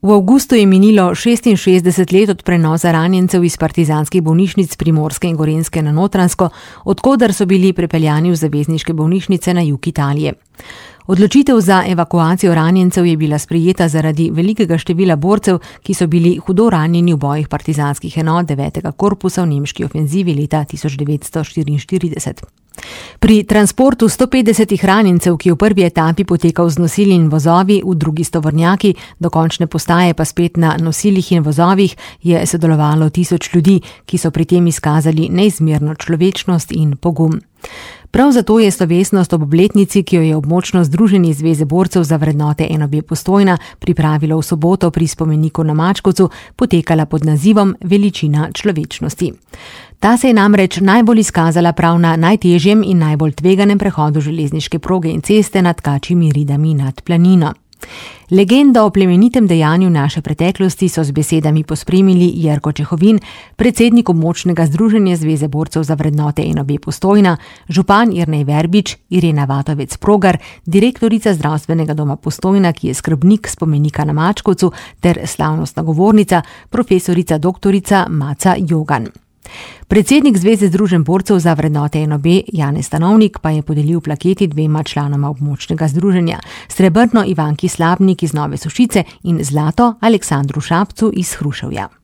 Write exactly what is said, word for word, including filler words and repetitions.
V avgustu je minilo šestinšestdeset let od prenosa ranjencev iz partizanskih bolnišnic Primorske in Gorenjske na Notranjsko, odkoder so bili prepeljani v zavezniške bolnišnice na jug Italije. Odločitev za evakuacijo ranjencev je bila sprejeta zaradi velikega števila borcev, ki so bili hudo ranjeni v bojih partizanskih enot devetega korpusa v nemški ofenzivi leta tisoč devetsto štiriinštirideset. Pri transportu sto petdesetih ranjencev, ki je v prvi etapi potekal z nosili in vozovi, v drugi s tovornjaki, do končne postaje pa spet na nosilih in vozovih, je sodelovalo tisoč ljudi, ki so pri tem izkazali neizmerno človečnost in pogum. Prav zato je slovesnost ob obletnici, ki jo je območno združenje Zveze borcev za vrednote N O B Postojna pripravilo v soboto pri spomeniku na Mačkovcu, potekala pod nazivom Veličina človečnosti. Ta se je namreč najbolj izkazala prav na najtežjem in najbolj tveganem prehodu železniške proge in ceste nad Kačjimi ridami nad Planino. Legendo o plemenitem dejanju naše preteklosti so z besedami pospremili Jerko Čehovin, predsednik območnega združenja Zveze borcev za vrednote N O B Postojna, župan Jernej Verbič, Irena Vatovec-Progar, direktorica zdravstvenega doma Postojna, ki je skrbnik spomenika na Mačkovcu, ter slavnostna govornica, profesorica doktorica Maca Jogan. Predsednik Zveze združenj borcev za vrednote N O B, Janez Stanovnik, pa je podelil plaketi dvema članoma območnega združenja, srebrno Ivanki Slabnik iz Nove Sušice in zlato Aleksandru Šapcu iz Hruševja.